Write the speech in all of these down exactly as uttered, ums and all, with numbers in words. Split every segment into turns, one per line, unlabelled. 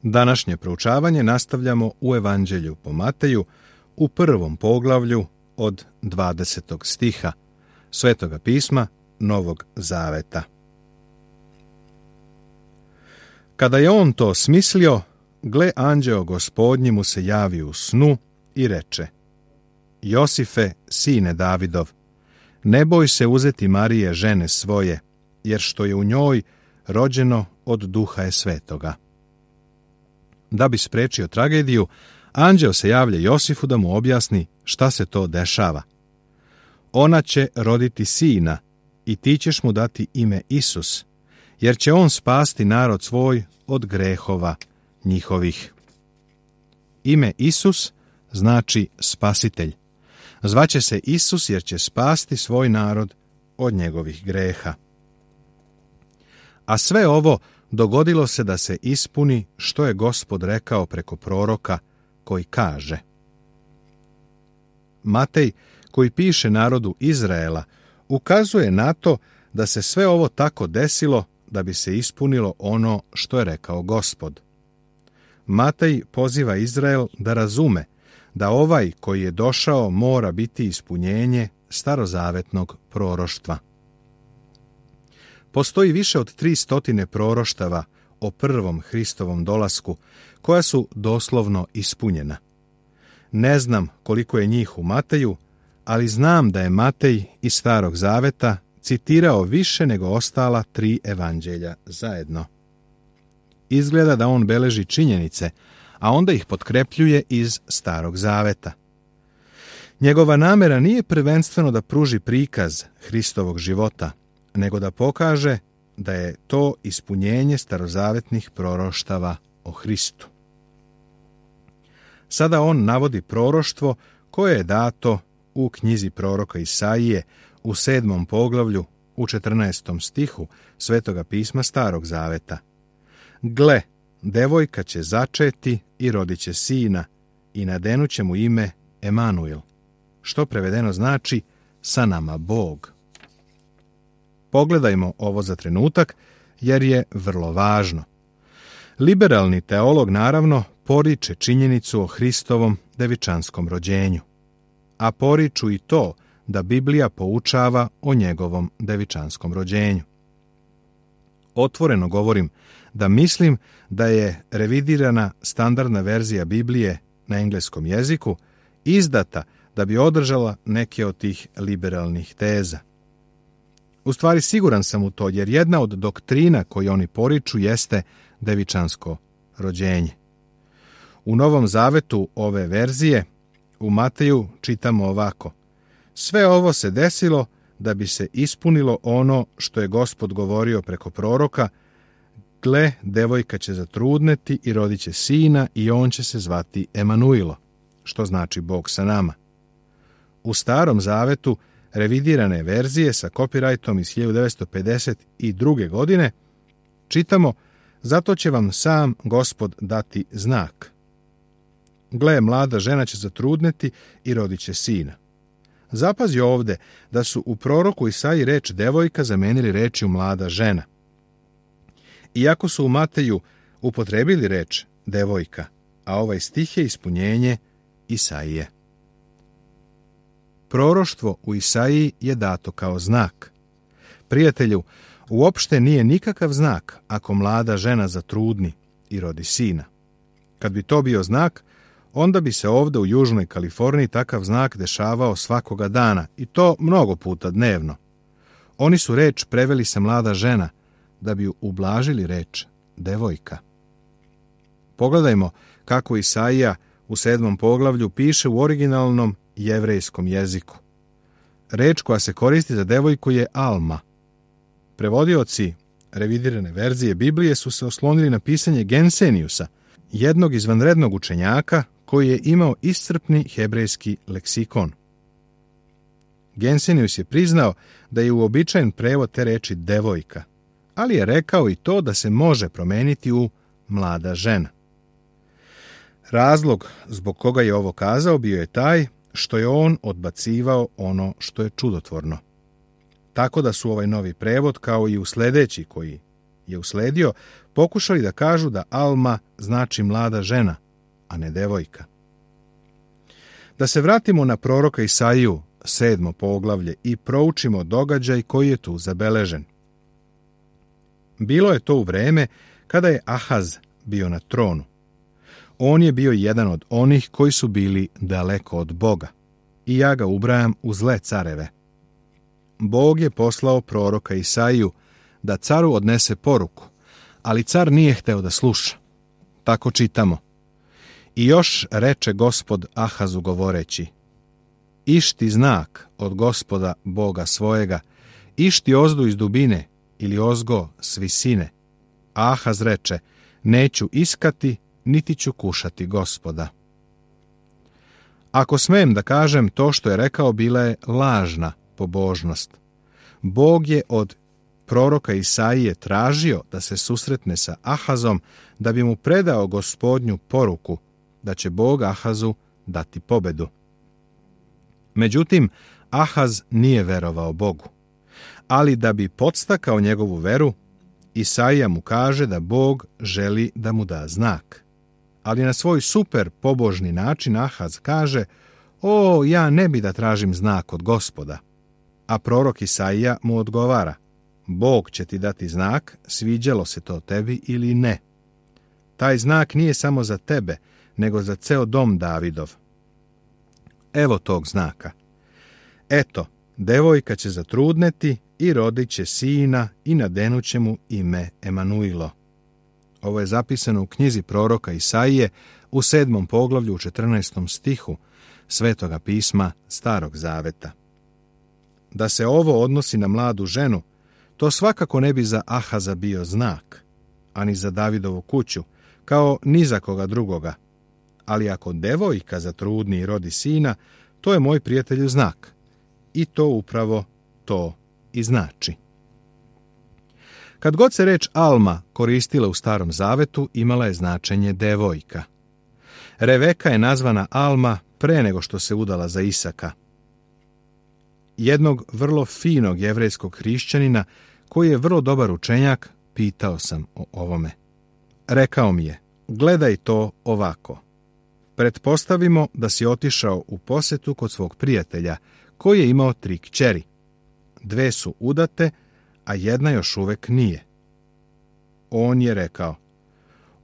Današnje proučavanje nastavljamo u Evanđelju po Mateju u prvom poglavlju od dvadesetog stiha Svetoga pisma Novog Zaveta. Kada je on to smislio, gle, anđeo Gospodnji mu se javi u snu i reče: Josife, sine Davidov, ne boj se uzeti Marije, žene svoje, jer što je u njoj rođeno od Duha je Svetoga. Da bi sprečio tragediju, anđeo se javlja Josifu da mu objasni šta se to dešava. Ona će roditi sina i ti ćeš mu dati ime Isus, jer će on spasti narod svoj od grehova njihovih. Ime Isus znači spasitelj. Zvaće se Isus jer će spasti svoj narod od njegovih greha. A sve ovo dogodilo se da se ispuni što je Gospod rekao preko proroka koji kaže. Matej, koji piše narodu Izraela, ukazuje na to da se sve ovo tako desilo da bi se ispunilo ono što je rekao Gospod. Matej poziva Izrael da razume da ovaj koji je došao mora biti ispunjenje starozavetnog proroštva. Postoji više od tri stotine proroštava o prvom Hristovom dolasku, koja su doslovno ispunjena. Ne znam koliko je njih u Mateju, ali znam da je Matej iz Starog Zaveta citirao više nego ostala tri evanđelja zajedno. Izgleda da on beleži činjenice, a onda ih potkrepljuje iz Starog Zaveta. Njegova namera nije prvenstveno da pruži prikaz Hristovog života, nego da pokaže da je to ispunjenje starozavetnih proroštava o Hristu. Sada on navodi proroštvo koje je dato u knjizi proroka Isaije u sedmom poglavlju u četrnaestom stihu Svetoga pisma Starog Zaveta. Gle, devojka će začeti i rodit će sina i nadenut će mu ime Emanuil, što prevedeno znači sa nama Bog. Pogledajmo ovo za trenutak, jer je vrlo važno. Liberalni teolog, naravno, poriče činjenicu o Hristovom devičanskom rođenju, a poriču i to da Biblija poučava o njegovom devičanskom rođenju. Otvoreno govorim da mislim da je revidirana standardna verzija Biblije na engleskom jeziku izdata da bi održala neke od tih liberalnih teza. U stvari siguran sam u to, jer jedna od doktrina koje oni poriču jeste devičansko rođenje. U Novom Zavetu ove verzije u Mateju čitamo ovako: sve ovo se desilo da bi se ispunilo ono što je Gospod govorio preko proroka: gle, devojka će zatrudneti i rodit će sina i on će se zvati Emanuilo, što znači Bog sa nama. U Starom Zavetu revidirane verzije sa kopirajtom iz hiljadu devetsto pedeset druge. godine čitamo: zato će vam sam Gospod dati znak. Gle, mlada žena će zatrudneti i rodit će sina. Zapazi ovde da su u proroku Isaiji reč devojka zamenili rečju mlada žena. Iako su u Mateju upotrebili reč devojka, a ovaj stih je ispunjenje Isaije. Proroštvo u Isaiji je dato kao znak. Prijatelju, uopšte nije nikakav znak ako mlada žena zatrudni i rodi sina. Kad bi to bio znak, onda bi se ovde u Južnoj Kaliforniji takav znak dešavao svakoga dana, i to mnogo puta dnevno. Oni su reč preveli sa mlada žena da bi ublažili reč devojka. Pogledajmo kako Isaija u sedmom poglavlju piše u originalnom jevrejskom jeziku. Reč koja se koristi za devojku je Alma. Prevodioci revidirane verzije Biblije su se oslonili na pisanje Genseniusa, jednog izvanrednog učenjaka koji je imao iscrpni hebrejski leksikon. Gensenius je priznao da je uobičajen prevod te reči devojka, ali je rekao i to da se može promeniti u mlada žena. Razlog zbog koga je ovo kazao bio je taj što je on odbacivao ono što je čudotvorno. Tako da su ovaj novi prevod, kao i u sledeći koji je usledio, pokušali da kažu da Alma znači mlada žena, a ne devojka. Da se vratimo na proroka Isaiju, sedmo poglavlje, i proučimo događaj koji je tu zabeležen. Bilo je to u vreme kada je Ahaz bio na tronu. On je bio jedan od onih koji su bili daleko od Boga, i ja ga ubrajam u zle careve. Bog je poslao proroka Isaiju da caru odnese poruku, ali car nije hteo da sluša. Tako čitamo. I još reče Gospod Ahazu govoreći: Išti znak od Gospoda Boga svojega, išti ozdu iz dubine ili ozgo s visine. Ahaz reče: Neću iskati, niti ću kušati Gospoda. Ako smem da kažem, to što je rekao bila je lažna pobožnost. Bog je od proroka Isaije tražio da se susretne sa Ahazom da bi mu predao Gospodnju poruku da će Bog Ahazu dati pobedu. Međutim, Ahaz nije verovao Bogu, ali da bi podstakao njegovu veru, Isaija mu kaže da Bog želi da mu da znak. Ali na svoj super pobožni način Ahaz kaže: O, ja ne bi da tražim znak od Gospoda. A prorok Isaija mu odgovara: Bog će ti dati znak, sviđalo se to tebi ili ne. Taj znak nije samo za tebe, nego za ceo dom Davidov. Evo tog znaka. Eto, devojka će zatrudneti i rodit će sina i nadenuće mu ime Emanuilo. Ovo je zapisano u knjizi proroka Isaije u sedmom poglavlju u četrnaestom stihu Svetoga pisma Starog zaveta. Da se ovo odnosi na mladu ženu, to svakako ne bi za Ahaza bio znak, ani za Davidovu kuću, kao ni za koga drugoga. Ali ako devojka zatrudni i rodi sina, to je moj prijatelju znak. I to upravo to i znači. Kad god se reč Alma koristila u Starom zavetu, imala je značenje devojka. Reveka je nazvana Alma pre nego što se udala za Isaka. Jednog vrlo finog jevrejskog hrišćanina, koji je vrlo dobar učenjak, pitao sam o ovome. Rekao mi je: gledaj to ovako. Pretpostavimo da si otišao u posetu kod svog prijatelja, koji je imao tri kćeri. Dve su udate, a jedna još uvek nije. On je rekao: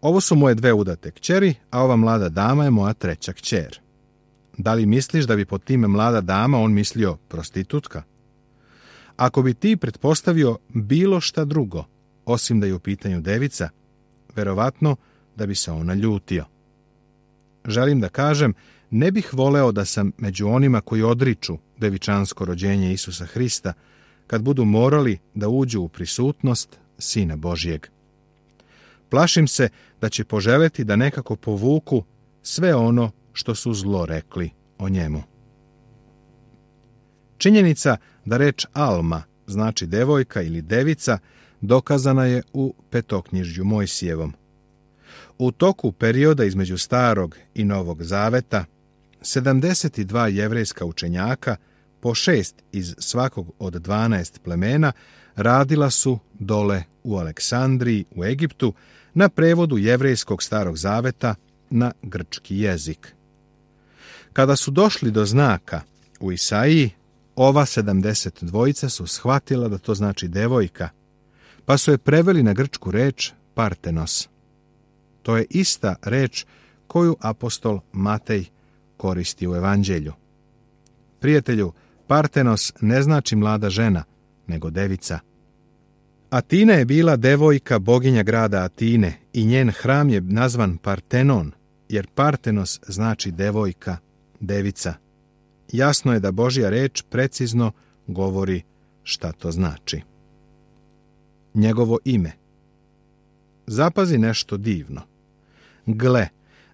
ovo su moje dve udate kćeri, a ova mlada dama je moja treća kćer. Da li misliš da bi pod time mlada dama on mislio prostitutka? Ako bi ti pretpostavio bilo šta drugo, osim da je u pitanju devica, verovatno da bi se ona ljutio. Želim da kažem, ne bih voleo da sam među onima koji odriču devičansko rođenje Isusa Hrista, kad budu morali da uđu u prisutnost Sina Božijeg. Plašim se da će poželeti da nekako povuku sve ono što su zlo rekli o njemu. Činjenica da reč Alma znači devojka ili devica dokazana je u Petoknjižju Mojsijevom. U toku perioda između Starog i Novog zaveta, sedamdeset dva jevrejska učenjaka, po šest iz svakog od dvanaest plemena, radila su dole u Aleksandriji u Egiptu na prevodu jevrejskog Starog zaveta na grčki jezik. Kada su došli do znaka u Isaiji, ova sedamdeset dvojica su shvatila da to znači devojka, pa su je preveli na grčku reč Partenos. To je ista reč koju apostol Matej koristi u Evanđelju. Prijatelju, Partenos ne znači mlada žena, nego devica. Atina je bila devojka boginja grada Atine i njen hram je nazvan Partenon, jer Partenos znači devojka, devica. Jasno je da Božja reč precizno govori šta to znači. Njegovo ime. Zapazi nešto divno. Gle,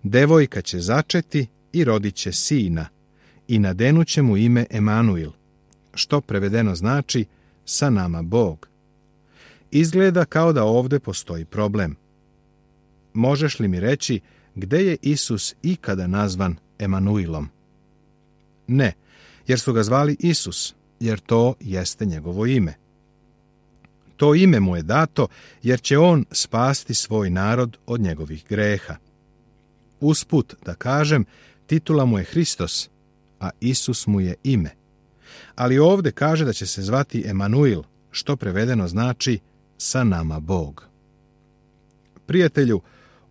devojka će začeti i rodit će sina i nadenuće mu ime Emanuil, što prevedeno znači sa nama Bog. Izgleda kao da ovde postoji problem. Možeš li mi reći gde je Isus ikada nazvan Emanuilom? Ne, jer su ga zvali Isus, jer to jeste njegovo ime. To ime mu je dato jer će on spasti svoj narod od njegovih greha. Usput da kažem, titula mu je Hristos, a Isus mu je ime. Ali ovdje kaže da će se zvati Emanuil, što prevedeno znači sa nama Bog. Prijatelju,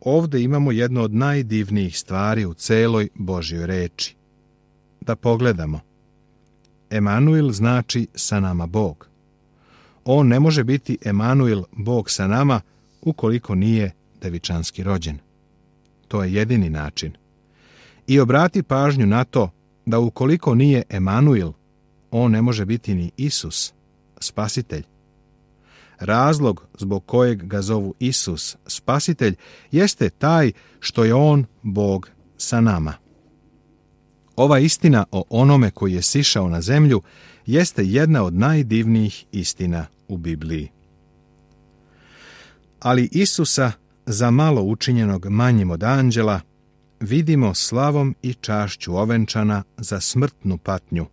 ovdje imamo jedno od najdivnijih stvari u celoj Božjoj reči. Da pogledamo. Emanuil znači sa nama Bog. On ne može biti Emanuil, Bog sa nama, ukoliko nije devičanski rođen. To je jedini način. I obrati pažnju na to da ukoliko nije Emanuil, on ne može biti ni Isus, spasitelj. Razlog zbog kojeg ga zovu Isus, spasitelj, jeste taj što je on Bog sa nama. Ova istina o onome koji je sišao na zemlju jeste jedna od najdivnijih istina u Bibliji. Ali Isusa, za malo učinjenog manjim od anđela, vidimo slavom i čašću ovenčana za smrtnu patnju,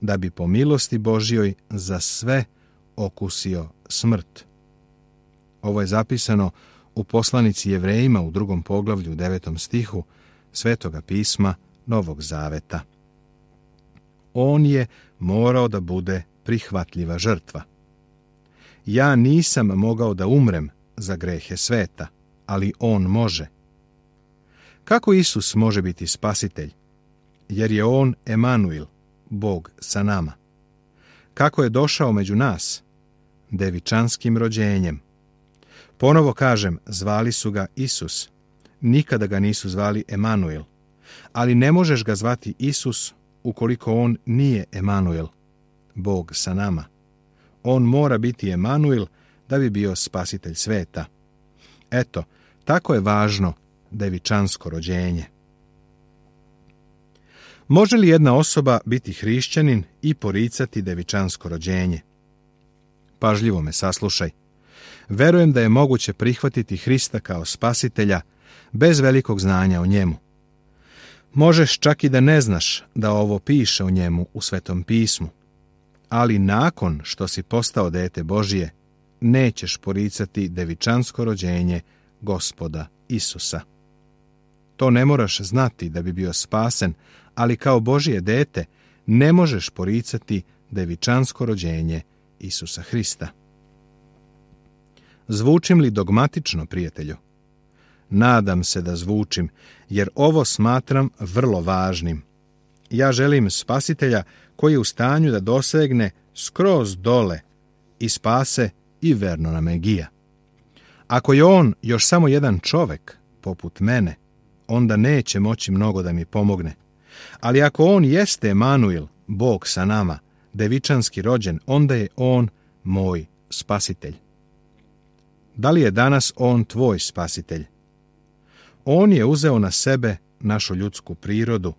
da bi po milosti Božjoj za sve okusio smrt. Ovo je zapisano u poslanici Jevrejima u drugom poglavlju u devetom stihu Svetoga pisma Novog Zaveta. On je morao da bude prihvatljiva žrtva. Ja nisam mogao da umrem za grehe sveta, ali on može. Kako Isus može biti spasitelj? Jer je on Emanuil, Bog sa nama. Kako je došao među nas? Devičanskim rođenjem. Ponovo kažem, zvali su ga Isus. Nikada ga nisu zvali Emanuil. Ali ne možeš ga zvati Isus ukoliko on nije Emanuil, Bog sa nama. On mora biti Emanuil da bi bio spasitelj sveta. Eto, tako je važno devičansko rođenje. Može li jedna osoba biti hrišćanin i poricati devičansko rođenje? Pažljivo me saslušaj. Verujem da je moguće prihvatiti Hrista kao spasitelja bez velikog znanja o njemu. Možeš čak i da ne znaš da ovo piše o njemu u Svetom pismu, ali nakon što si postao dete Božije, nećeš poricati devičansko rođenje Gospoda Isusa. To ne moraš znati da bi bio spasen, ali kao Božje dete ne možeš poricati devičansko rođenje Isusa Hrista. Zvučim li dogmatično, prijatelju? Nadam se da zvučim, jer ovo smatram vrlo važnim. Ja želim spasitelja koji je u stanju da dosegne skroz dole i spase i verno na Megija. Ako je on još samo jedan čovek, poput mene, onda neće moći mnogo da mi pomogne. Ali ako on jeste Emanuil, Bog sa nama, devičanski rođen, onda je on moj spasitelj. Da li je danas on tvoj spasitelj? On je uzeo na sebe našu ljudsku prirodu,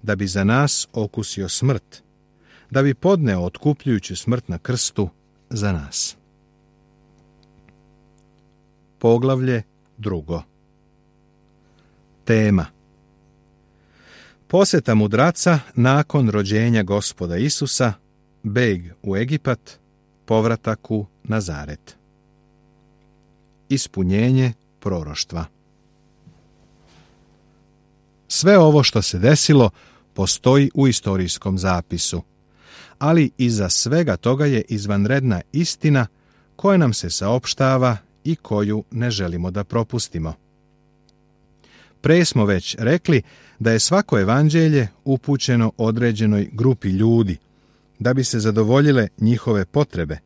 da bi za nas okusio smrt, da bi podneo otkupljujući smrt na krstu za nas. Poglavlje drugo. Tema. Posjeta mudraca nakon rođenja Gospoda Isusa, beg u Egipat, povratak u Nazaret. Ispunjenje proroštva. Sve ovo što se desilo postoji u istorijskom zapisu, ali iza svega toga je izvanredna istina koja nam se saopštava i koju ne želimo da propustimo. Pre smo već rekli da je svako evanđelje upućeno određenoj grupi ljudi, da bi se zadovoljile njihove potrebe,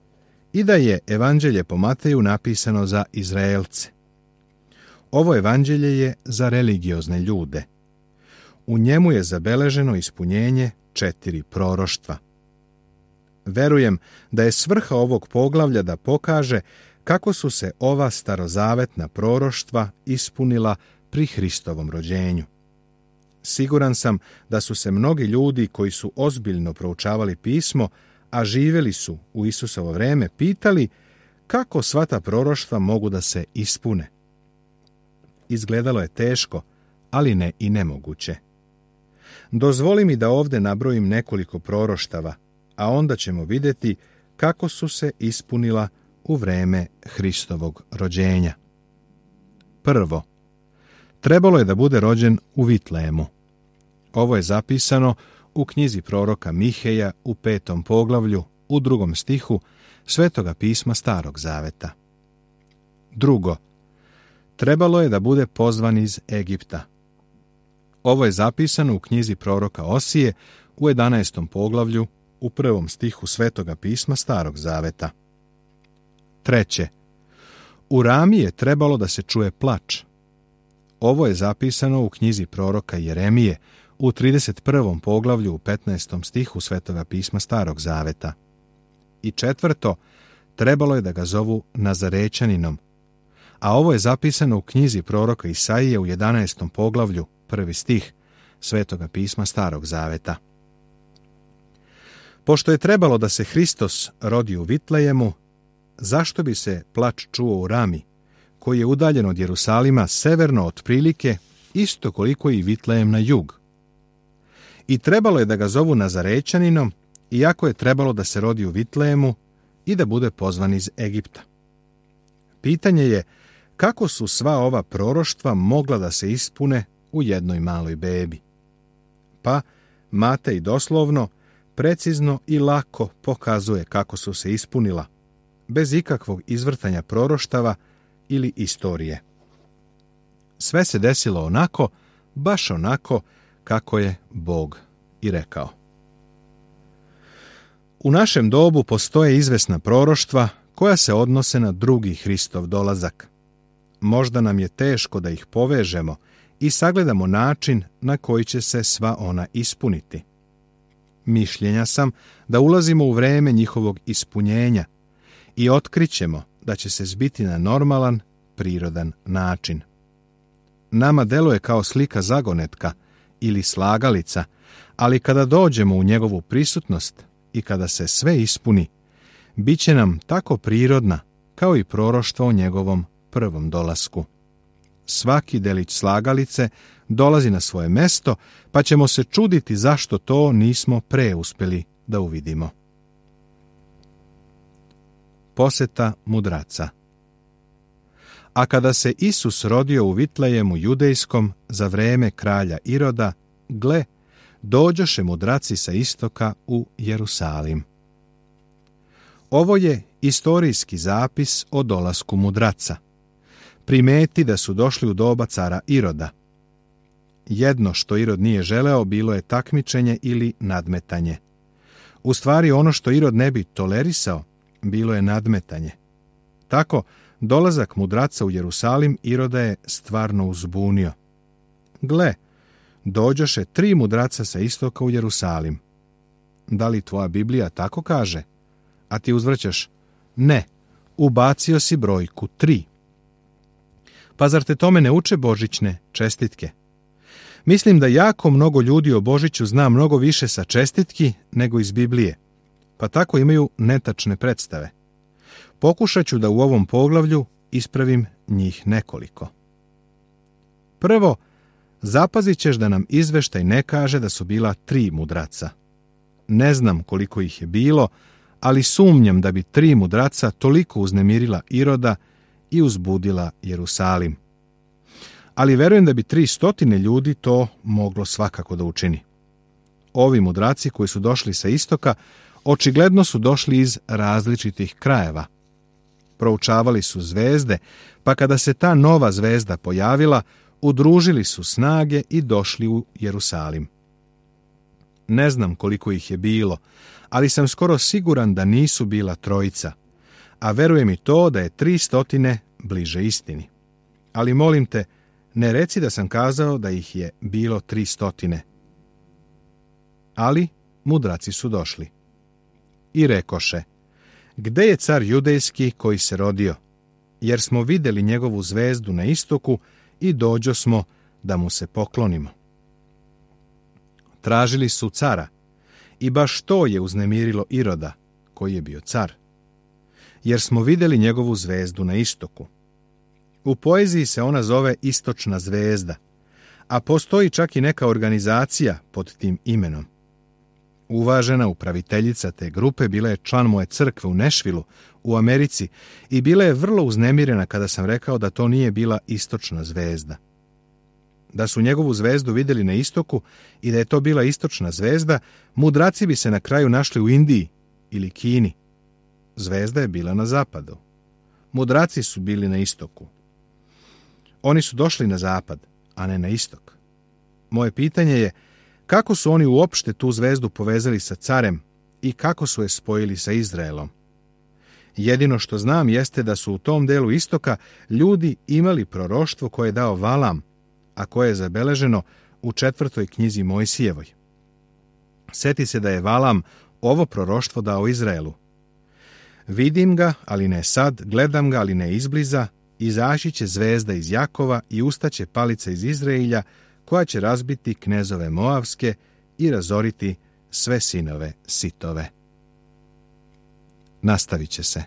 i da je evanđelje po Mateju napisano za Izraelce. Ovo evanđelje je za religiozne ljude. U njemu je zabeleženo ispunjenje četiri proroštva. Verujem da je svrha ovog poglavlja da pokaže kako su se ova starozavetna proroštva ispunila pri Hristovom rođenju. Siguran sam da su se mnogi ljudi koji su ozbiljno proučavali pismo, a živjeli su u Isusovo vreme, pitali kako sva ta proroštva mogu da se ispune. Izgledalo je teško, ali ne i nemoguće. Dozvoli mi da ovdje nabrojim nekoliko proroštava, a onda ćemo vidjeti kako su se ispunila u vreme Hristovog rođenja. Prvo, trebalo je da bude rođen u Vitlejemu. Ovo je zapisano u knjizi proroka Miheja u petom poglavlju, u drugom stihu Svetoga pisma Starog zaveta. Drugo, trebalo je da bude pozvan iz Egipta. Ovo je zapisano u knjizi proroka Osije u jedanaestom poglavlju, u prvom stihu Svetoga pisma Starog zaveta. Treće, u Rami je trebalo da se čuje plač. Ovo je zapisano u knjizi proroka Jeremije u trideset prvom poglavlju u petnaestom stihu Svetoga pisma Starog zaveta. I četvrto, trebalo je da ga zovu Nazarećaninom, a ovo je zapisano u knjizi proroka Isaije u jedanaestom poglavlju, prvi stih Svetoga pisma Starog zaveta. Pošto je trebalo da se Hristos rodi u Vitlejemu, zašto bi se plač čuo u Rami, koji je udaljen od Jerusalima severno otprilike isto koliko i Vitlejem na jug? I trebalo je da ga zovu Nazarećaninom, iako je trebalo da se rodi u Vitlejemu i da bude pozvan iz Egipta. Pitanje je kako su sva ova proroštva mogla da se ispune u jednoj maloj bebi. Pa Matej doslovno, precizno i lako pokazuje kako su se ispunila, bez ikakvog izvrtanja proroštava ili istorije. Sve se desilo onako, baš onako kako je Bog i rekao. U našem dobu postoje izvesna proroštva koja se odnose na drugi Hristov dolazak. Možda nam je teško da ih povežemo i sagledamo način na koji će se sva ona ispuniti. Mišljenja sam da ulazimo u vreme njihovog ispunjenja i otkrićemo da će se zbiti na normalan, prirodan način. Nama deluje kao slika zagonetka ili slagalica, ali kada dođemo u njegovu prisutnost i kada se sve ispuni, bit će nam tako prirodna kao i proroštvo o njegovom prvom dolasku. Svaki delić slagalice dolazi na svoje mesto, pa ćemo se čuditi zašto to nismo pre uspeli da uvidimo. Poseta mudraca. A kada se Isus rodio u Vitlejemu judejskom za vreme kralja Iroda, gle, dođoše mudraci sa istoka u Jerusalim. Ovo je istorijski zapis o dolasku mudraca. Primeti da su došli u doba cara Iroda. Jedno što Irod nije želeo bilo je takmičenje ili nadmetanje. U stvari ono što Irod ne bi tolerisao bilo je nadmetanje. Tako, dolazak mudraca u Jerusalim Iroda je stvarno uzbunio. Gle, dođoše tri mudraca sa istoka u Jerusalim. Da li tvoja Biblija tako kaže? A ti uzvraćaš, ne, ubacio si brojku tri. Pa zar te tome ne uče božićne čestitke? Mislim da jako mnogo ljudi o Božiću zna mnogo više sa čestitki nego iz Biblije, pa tako imaju netačne predstave. Pokušat ću da u ovom poglavlju ispravim njih nekoliko. Prvo, zapazit ćeš da nam izveštaj ne kaže da su bila tri mudraca. Ne znam koliko ih je bilo, ali sumnjam da bi tri mudraca toliko uznemirila Iroda i uzbudila Jerusalim. Ali verujem da bi tri stotine ljudi to moglo svakako da učini. Ovi mudraci koji su došli sa istoka očigledno su došli iz različitih krajeva. Proučavali su zvezde, pa kada se ta nova zvezda pojavila, udružili su snage i došli u Jerusalim. Ne znam koliko ih je bilo, ali sam skoro siguran da nisu bila trojica, a verujem i to da je tri stotine bliže istini. Ali molim te, ne reci da sam kazao da ih je bilo tri stotine. Ali mudraci su došli. I rekoše, gde je car judejski koji se rodio? Jer smo vidjeli njegovu zvezdu na istoku i dođo smo da mu se poklonimo. Tražili su cara i baš to je uznemirilo Iroda, koji je bio car. Jer smo vidjeli njegovu zvezdu na istoku. U poeziji se ona zove Istočna zvezda, a postoji čak i neka organizacija pod tim imenom. Uvažena upraviteljica te grupe bila je član moje crkve u Nešvilu u Americi i bila je vrlo uznemirena kada sam rekao da to nije bila istočna zvezda. Da su njegovu zvezdu vidjeli na istoku i da je to bila istočna zvezda, mudraci bi se na kraju našli u Indiji ili Kini. Zvezda je bila na zapadu. Mudraci su bili na istoku. Oni su došli na zapad, a ne na istok. Moje pitanje je, kako su oni uopšte tu zvezdu povezali sa carem i kako su je spojili sa Izraelom? Jedino što znam jeste da su u tom delu istoka ljudi imali proroštvo koje je dao Valam, a koje je zabeleženo u četvrtoj knjizi Mojsijevoj. Sjeti se da je Valam ovo proroštvo dao Izraelu. Vidim ga, ali ne sad, gledam ga, ali ne izbliza, izaći će zvezda iz Jakova i ustaće palica iz Izraelja, koja će razbiti knezove Moavske i razoriti sve sinove Sitove. Nastavit će se.